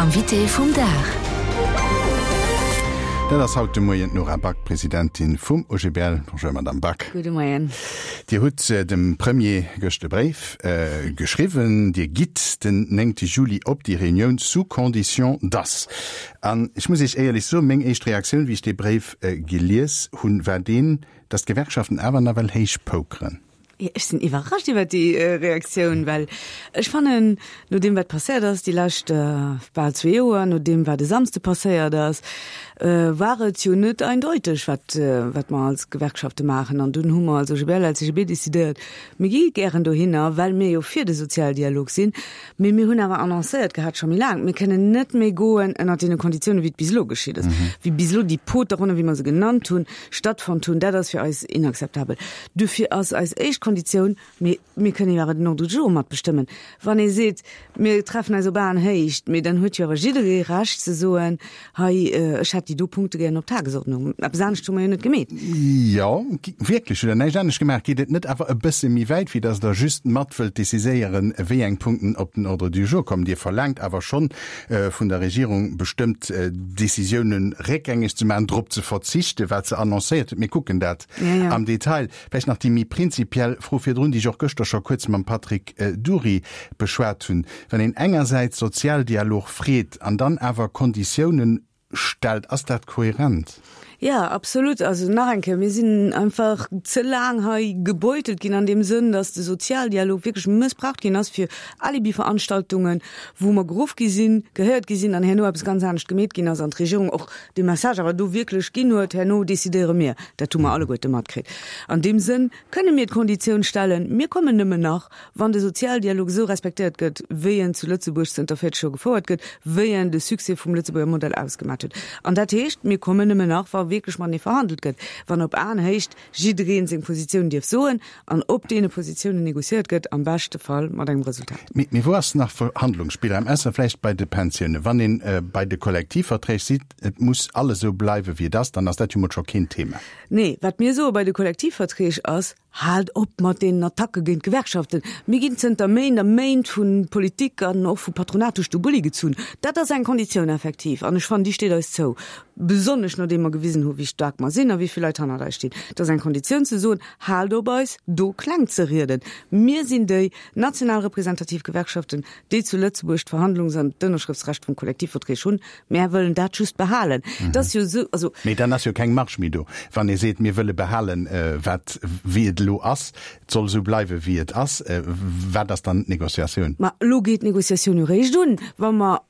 Invité vum Dag. Dat ass haut de Moien d'Nora Back, Presidentin vum OGBL. Bonjour Madame Back. Gudde Moien. Dir hutt dem Premier gëscht e Bréif geschriwwen. Dir gitt den 9 Juli op déi Reunioun sous condition dass. An ech muss Iech éierlech soen, meng éischt Reaktioun, wéi ech dee Bréif gelies hunn, war deen, dass d'Gewerkschaften awer nawell héich pokeren. Ech sinn iwwerrascht iwwer déi Reaktioun, well ech fannen, no deem wat passéiert ass déi lescht bal zwee Joer, no deem wat e Samsde passéiert ass, war et jo net eindeuteg, wat wat mer als Gewerkschafte maachen. An dunn hu mer als OGBL, LCGB decidéiert, mir gi gären dohinner, well mir jo fir de Sozialdialog sinn. Mee mir hunn awer annoncéiert gehat scho méi laang, mir kënnen net méi goen ënnert deene Konditiounen, wéi et bis elo geschitt ass, wéi bis elo déi Poterronnen, wéi mer se genannt hunn, stattfonnt hunn. Dat ass fir eis inakzeptabel. Dofir ass eis éischt Konditioun, mee mir kënnen jo awer den Ordre du jour matbestëmmen, wann ee seet, mir treffen eis op Aenhéicht, mee dann huet jo awer jidderee Recht ze soen, hei, ech hätt déi do Punkte gären op d'Tagesordnung. Eppes anescht hu mer jo net gemeet. Jo, wierklech, hutt Der näischt anescht gemaach? Geet et net awer e bësse méi wäit, wéi datt Der just mat wëllt déciséieren, wéi eng Punkten op den Ordre du jour kommen? Dir verlaangt awer schonn vun der Regierung, bestëmmt Décisiounen réckgängeg ze maachen, drop ze verzichten, wat se annoncéiert huet. Mir kucken dat am Detail. Vläicht nach déi méi prinzipiell Fro virdrun, déi ech och gëschter scho kuerz mam Patrick Dury beschwat hunn, Wann een engersäits Sozialdialog freet an dann awer Konditiounen stellt, ass dat kohärent? Jo, absolut. Also nach eng Kéier, mir sinn einfach ze laang hei gebeutelt ginn an deem Sënn, datt de Sozialdialog wierklech mëssbraucht ginn ass fir Alibiveranstaltungen, wou mer geruff gi sinn, gehéiert gi sinn an herno eppes ganz anescht gemeet ginn ass an d'Regierung och dee Message awer do wierklech ginn huet, herno decidéiere mir. Dat hu mer alleguerte matkritt. An deem Sënn kënne mir d'Konditioun stellen, mir kommen nëmmen nach, wann de Sozialdialog esou respektéiert gëtt, wéi en zu Lëtzebuerg zënter 40 Joer gefouert gëtt, wéi en de Succès vum Lëtzebuerger Modell ausgemat huet. An dat heescht, mir kommen nëmmen nach, wa wierklech matenee verhandelt gëtt, wann op Aenhéicht jidderee seng Positioun dierf soen an op deene Positiounen negociéiert gëtt, am beschte Fall mat engem Resultat. Mee wou ass nach Verhandlungsspillraum, ausser vläicht bei de Pensiounen? Wann ee bei de Kollektivverträg seet, et muss alles esou bleiwen, wéi et ass, dann ass dat jo mol scho keen Thema. Nee, wat mir soe bei de Kollektivverträg ass, Haalt op mat deenen Attacke géint d'Gewerkschaften! Mir ginn zënter Méint a Méint vu Politik an och vu Patronat duerch de Bulli gezunn. Dat ass eng Konditioun effektiv, an ech fannen, déi steet eis zou, besonnesch nodeem mer gewisen hu wéi staark mer sinn a wéi vill Leit hannert eis stinn. Et ass eng Konditioun ze soen, Haalt op eis do kleng ze rieden. Mir sinn déi national representativ Gewerkschaften, déi zu Lëtzebuerg d'Verhandlungs an d'Ënnerschrëftsrecht vum Kollektivverträg hunn. Mär wëllen dat just behalen. Et ass jo esou, also. Mee dann ass jo keng Marge méi do, wann ee seet, mir wëlle behalen, wat, wéi et elo ass, et soll esou bleiwen, wéi et ass. Wat ass dann d'Négociatioun? Ma elo geet d'Négociatioun jo réischt un, wa mer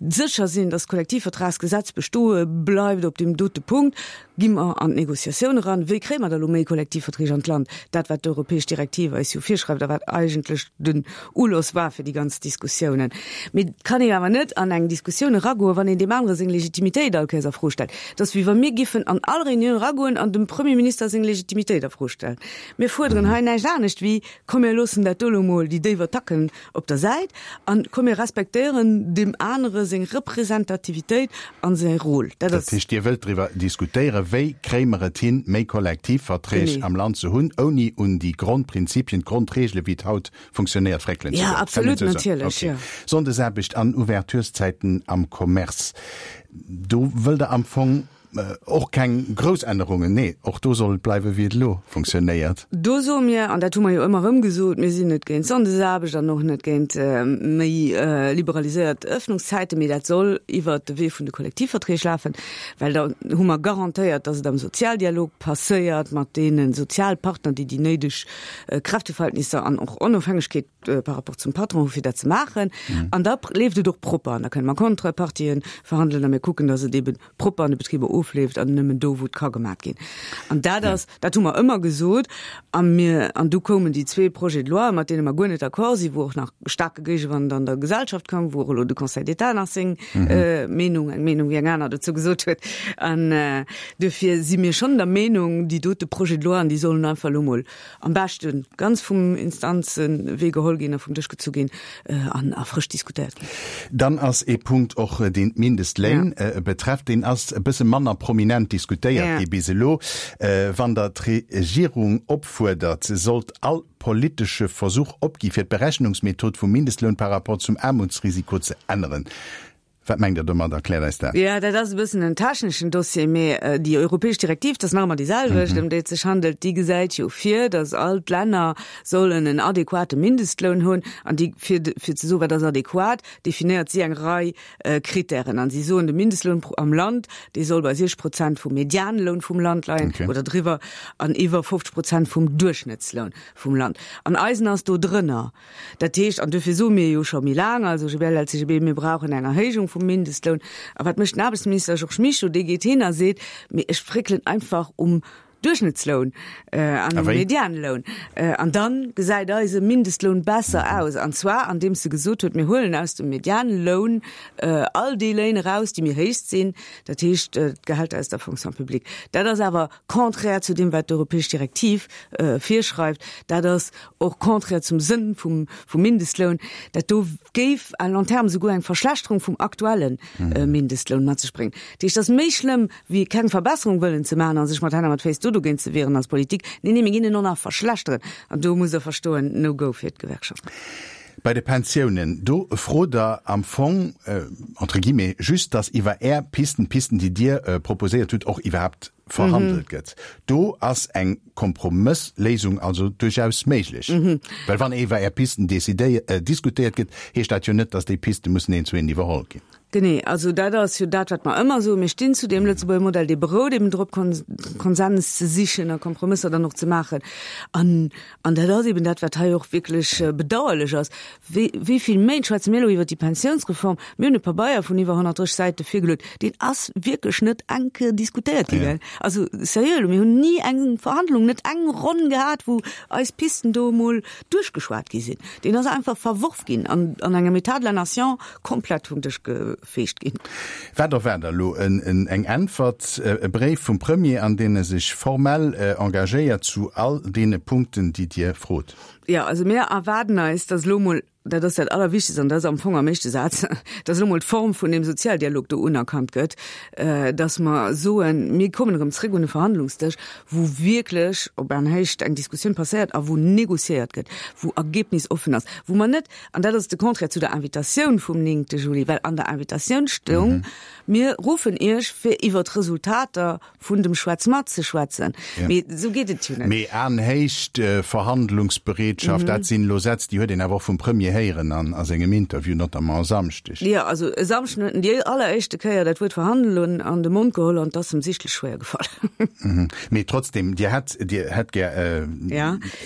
sécher sinn, dass d'Kollektivvertragsgesetz bestoe bleift op deem dote Punkt, gi mer an d'Négociatioun eran, wéi kréie mer da elo méi Kollektivverträg an d'Land, dat wat d'europäesch Direktiv eis jo virschreift a wat eigentlech den Uloss war fir déi ganz Diskussiounen. Mee et kann een awer net an eng Diskussioun eragoen, wann een deem anere seng Legitimitéit all Kéiers a Fro stellt. Et ass wéi wa mir giffen an all Réunioun eragoen an dem Premier Minister seng Legitimitéit a Fro stellen. Mir fuerderen hei näischt anescht wéi, Komm mir loossen dat do elo mol, déi déif Attacken, op der Säit an komm mir respektéieren deem anere seng Representativitéit an säi Rôle. Dat ass. Dat heescht, Dir wëllt driwwer diskutéieren, wéi kréie mer et hin, méi Kollektivverträg am Land ze hunn, ouni un déi Grondprinzipien, d'Grondregele wéi et haut funktionéiert, fréckelen ze goen. Jo, absolut, natierlech, jo. Sonndesaarbecht an Ouvertureszäiten am Commerce, do wëllt Der am Fong Och keng grouss Ännerungen, nee, och do soll et bleiwen, wéi et elo funktionéiert. Do soe mir, an dat hu mer jo ëmmer erëm gesot, mir sinn net géint Sonndesaarbecht an och net géint méi liberaliséiert Öffnungszäiten, mee dat soll iwwert de Wee vun de Kollektivverträg lafen, well da hu mer garantéiert, dass et am Sozialdialog passéiert mat deene Sozialpartner, déi déi néideg Kräfteverhältnisser an och Onofhängegkeet par rapport zum Patron hu fir dat ze maachen. An da leeft et och propper an da kënne mer Contrepartien verhandelen a mir kucken, dass et eeben propper an de Betriber ofleeft an nëmmen do, wou et ka gemat ginn. An dat ass, dat hu mer ëmmer gesot. A mir, an du koumen déi zwee Projets de loi, mat deene mer guer net d'accord sinn, wou och nach staarke Géigewand an der Gesellschaft koum, wou och elo de Conseil d'État nach seng Meenung, eng Meenung wéi eng aner, dozou gesot huet. An duerfir si mir schonn der Meenung, déi dote Projets de loi, déi sollen einfach elo mol am beschte ganz vum Instanzenwee geholl ginn a vum Dësch gezu ginn an a frësch diskutéiert ginn. Dann ass ee Punkt och, deen d'Mindestléin betrefft, deen ass e bësse manner prominent diskutéiert gi bis elo. Wann Der d'Regierung opfuerdert, se sollt all politesche Versuch opgi fir d'Berechnungsmethod vum Mindestloun par rapport zum Aarmutsrisiko ze änneren. Wat mengt Der domat? Erkläert eis dat. Jo, dat ass e bëssen en techneschen Dossier, mee déi europäesch Direktiv, dat ass nach ëmmer déi selwecht, ëm déi et sech handelt, déi gesäit jo vir, datt all d'Länner sollen en adequate Mindestloun hunn. An déi, fir, fir ze soen, wat ass adequat, definéiert si eng Rei Krittären. An si soen, de Mindestloun am Land, dee soll bei 60 Prozent vum Medianloun vum Land leien oder driwwer an iwwer 50 Prozent vum Duerchschnëttsloun vum Land. An eisen ass do drënner. Dat heescht, an duerfir soe mir jo scho méi laang als OGBL, LCGB, mir brauchen eng Erhéijung vum Mindestloun. A wat mécht den Aarbechtsminister Georges Mischo? Dee geet hin a seet, Mee ech fréckelen einfach um Duerchschnëttsloun an um Medianloun. An da gesäit eise Mindestloun besser aus. An zwar andeems e gesot huet, mir huelen aus dem Medianloun all déi Léin eraus, déi méi héich sinn, dat heescht d'Gehälter aus der Fonction publique. Dat ass awer contraire zu deem, wat d'europäesch Direktiv virschreift. Dat ass och contraire zum Sënn vum Mindestloun. Dat do géif à long terme souguer eng Verschlechterung vum aktuelle Mindestloun mat sech bréngen. Dat heescht, et ass méi schlëmm, wéi keng Verbesserung wëllen ze maachen a sech mat Hänn a mat Féiss do dogéint ze wieren als Politik. Nee, nee, mir ginn en och nach verschlechteren. An do musst Der verstoen, no go fir d'Gewerkschaften. Bei de Pensiounen, do frot Der am Fong, entre guillemets, just, datt iwwer Är Pisten, d'Pisten, déi Dir proposéiert hutt, och iwwerhaapt verhandelt gëtt. Do ass eng Kompromëssléisung also duerchaus méiglech. Well wann iwwer Är Pisten diskutéiert gëtt, heescht dat jo net, datt déi Piste mussen eent zu eent iwwerholl ginn. Genee, also dat ass jo dat, wat mer ëmmer soen. Mir stinn zu deem Lëtzebuerger Modell, dee berout eben drop, Konsens ze sichen a Kompromësser dann och ze maachen. An, an dat ass eben dat, wat hei och wierklech bedauerlech ass. Wéi, wéi vill Méint schwätze mir elo iwwert déi Pensiounsreform? Mir hunn e Pabeier vun iwwer 130 Säite virgeluet, deen ass wierklech net eng Kéier diskutéiert gi, gell? Also seriö elo, mir hunn ni eng Verhandlung, net eng Ronn gehat, wou eis Pisten do emol duerchgeschwat gi sinn. Deen ass einfach verworf ginn an an engem État de la nation komplett vum Dësch gefeegt ginn. Wat erwaart Der elo? Eng Äntwert, e Bréif vum Premier, an deen e sech formell engagéiert zu all deene Punkten, déi Dir frot? Jo, also mir erwaarden eis, datt elo emol, dat ass dat Allerwichtegst an dat ass am Fong am éischte Saz, datt elo emol d'Form vun deem Sozialdialog do unerkannt gëtt, datt mer soen, mir kommen erëm zréck un de Verhandlungsdësch, wou wierklech op Aenhéicht eng Diskussioun passéiert a wou négociéiert gëtt, wou ergebnisoffen ass, wou mer net, an dat ass de Contraire zu der Invitatioun vum 9 Juli, well an der Invitatioun stoung, Mir ruffen Iech, fir iwwer d'Resultater vun dem Schwätz mat ze schwätzen. Mee esou geet et jo net. Mee Aenhéicht, Verhandlungsbereetschaft, dat sinn elo Sätz, déi huet een awer och vum Premier héieren an a sengem Interview, notamment e Samschdeg. Jo, also e Samschden huet en déi alleréischte Kéier dat Wuert verhandelen an de Mond geholl an 't ass em sichtlech schwéier gefall. Mee trotzdem, Dir hätt, Dir hätt gär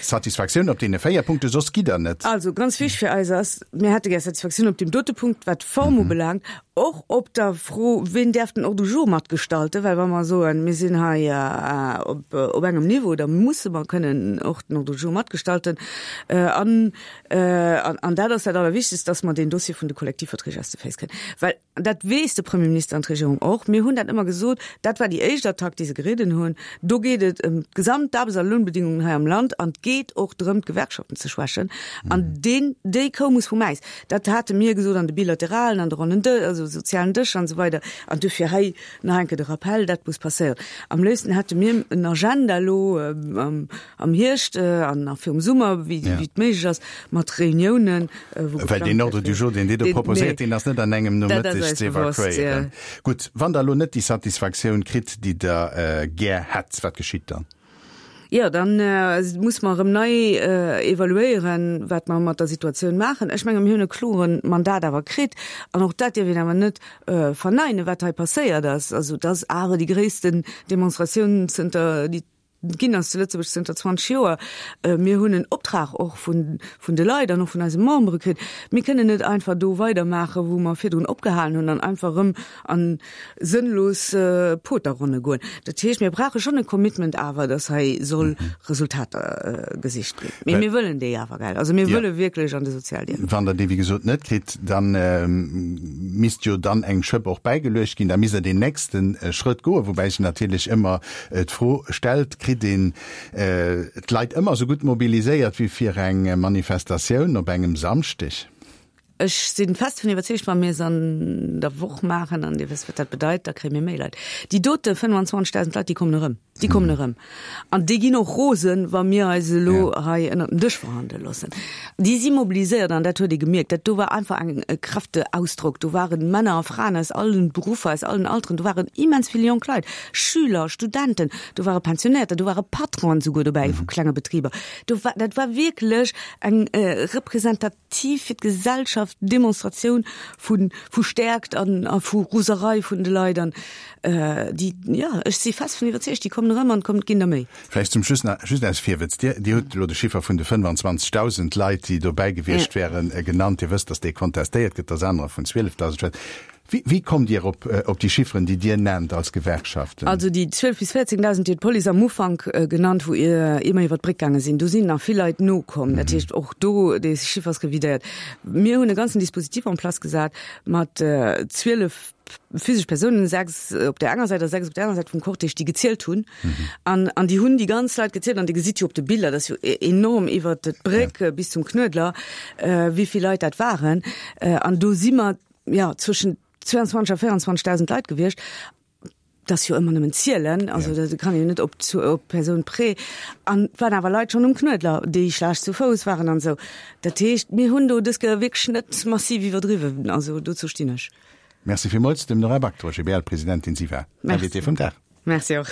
Satisfaktioun op deene 4 Punkte, soss gitt Der net. Also ganz wichteg fir eis ass, mir hätte gär Satisfaktioun op deem dote Punkt, wat d'Form ubelaangt, och op der Fro, ween däerf den Ordre du jour matgestalten, well wa mer soen, mir sinn hei op op engem Niveau, da musse mer kënnen och den Ordre du jour matgestalten. An an dat ass dat Allerwichtegst, dass mer deen Dossier vun de Kollektivverträg aus de Féiss kréien, well An dat weess de Premierminister an d'Regierung och. Mir hunn dat ëmmer gesot, dat war déi éischt Attack, déi se geridden hunn. Do geet et ëm d'gesamt Aarbechts a Lounbedingungen hei am Land an et geet och drëm, d'Gewerkschaften ze schwächen. An deen, déi Kou muss vum Äis. Dat hate mir gesot an de Bilateralen, an de ronnen Dë-, also sozialen Dëscher an esou weider. An duerfir hei nach eng Kéier de Rappell, dat muss passéieren. Am léifsten hätte mir en Agenda elo am, am Hierscht an nach virum Summer, wéi, wéi et méiglech ass, mat Reuniounen, Well deen Ordre du jour, deen Dir do proposéiert, deen ass net an engem Nomëtteg ze evakuéieren. Gutt, wann Der elo net déi Satisfaktioun kritt, déi Der gär hätt, wat geschitt dann? Jo, da muss mer erëm nei evaluéieren, wat mer mat der Situatioun maachen. Ech menge mir hunn e klore Mandat awer kritt an och dat dierf een awer net verneinen, wat hei passéiert ass. Also et ass awer déi gréissten Demonstratioun zënter déi Ginn ass zu Lëtzebuerg zënter 20 Joer. Mir hunn en Optrag och vun, vun de Leit an och vun eise Membere kritt. Mir kënnen net einfach do weidermaachen, wou mer virdrun opgehalen hunn an einfach erëm a sënnlos Poterronne goen. Dat heescht, mir brauche schonn e Commitment awer, datt hei soll Resultater gesicht ginn. Mee mir wëllen déi awer, gell? Also mir wëlle wierklech an de Sozialdialog. Wann Der déi, wéi gesot, net kritt, da misst jo dann eng Schëpp och bäigeluecht ginn. Da misst Der deen nächste Schrëtt goen, woubäi sech natierlech ëmmer D'Fro stellt, Kritt een d'Leit ëmmer esou gutt mobiliséiert wéi fir eng Manifestatioun op engem Samschdeg? Ech si fest dovun iwwerzeegt, wa mir es an der Woch maachen, an Dir wësst, wat dat bedeit, da kréie mir méi Leit. Déi dote 25.000 Leit, déi kommen erëm. Déi kommen erëm. An déi ginn och rosen, wa mir eis elo hei ënnert den Dësch verhandele loossen. Déi si mobiliséiert an dat huet ee gemierkt. Dat do war einfach eng e Kräfteausdrock. Do ware Männer a Fraen aus allen Beruffer, aus allen Alteren. Do waren immens vill jonk Leit, Schüler, Studenten, do ware Pensionäerter, do ware Patronen souguer dobäi vu klenge Betriber. Do war, dat war wierklech eng representativ fir d'Gesellschaft Demonstratioun vu vu Stäerkt an a vu Roserei vun de Leit an déi, jo, ech si fest vun iwwerzeegt, déi kommen erëm an et kommen, ginn der méi. Vläicht zum Schluss nach just aus Virwëtz, Dir, Dir hutt elo de Chiffer vun de 25.000 Leit, déi dobäi gewiescht wären, genannt. Dir wësst, datt dee kontestéiert gëtt, datt anerer vun 12.000 schwätzen. Wéi, wéi kommt Dir op, op déi Chifferen, déi Dir nennt als Gewerkschaften? Also déi 12 bis 14.000, déi huet d'Police am Ufank genannt, wou ier mer iwwer d'Bréck gaange sinn. Do sinn nach vill Leit nokomm. Dat heescht, och do, dee Chiffer ass revidéiert. Mir hunn e ganzen Dispositif en place gesat mat 12 physesch Persounen, 6 op där enger Säit a 6 op där anerer Säit vum Cortège, déi gezielt hunn. An, an déi hunn déi ganz Leit gezielt. An Dir gesitt jo op de Biller, dat ass jo enorm iwwer d'Bréck bis zum Knuedler, wéi vill Leit dat waren. An do si mer ja, zwëschen 22 a 24.000 Leit gewiescht. Dat ass jo ëmmer nëmmen zielen, also ja. dat kann jo net op, op Persoun près. An et waren awer Leit schonn um Knuedler, déi schlecht zu Fouss waren an esou. Dat heescht, mir hunn do dës Kéier wierklech net massiv iwwerdriwwen. Also dozou stinn ech. Merci villmools dem Nora Back, der OGBL-Presidentin. Si war Invitée vum Dag. Merci och.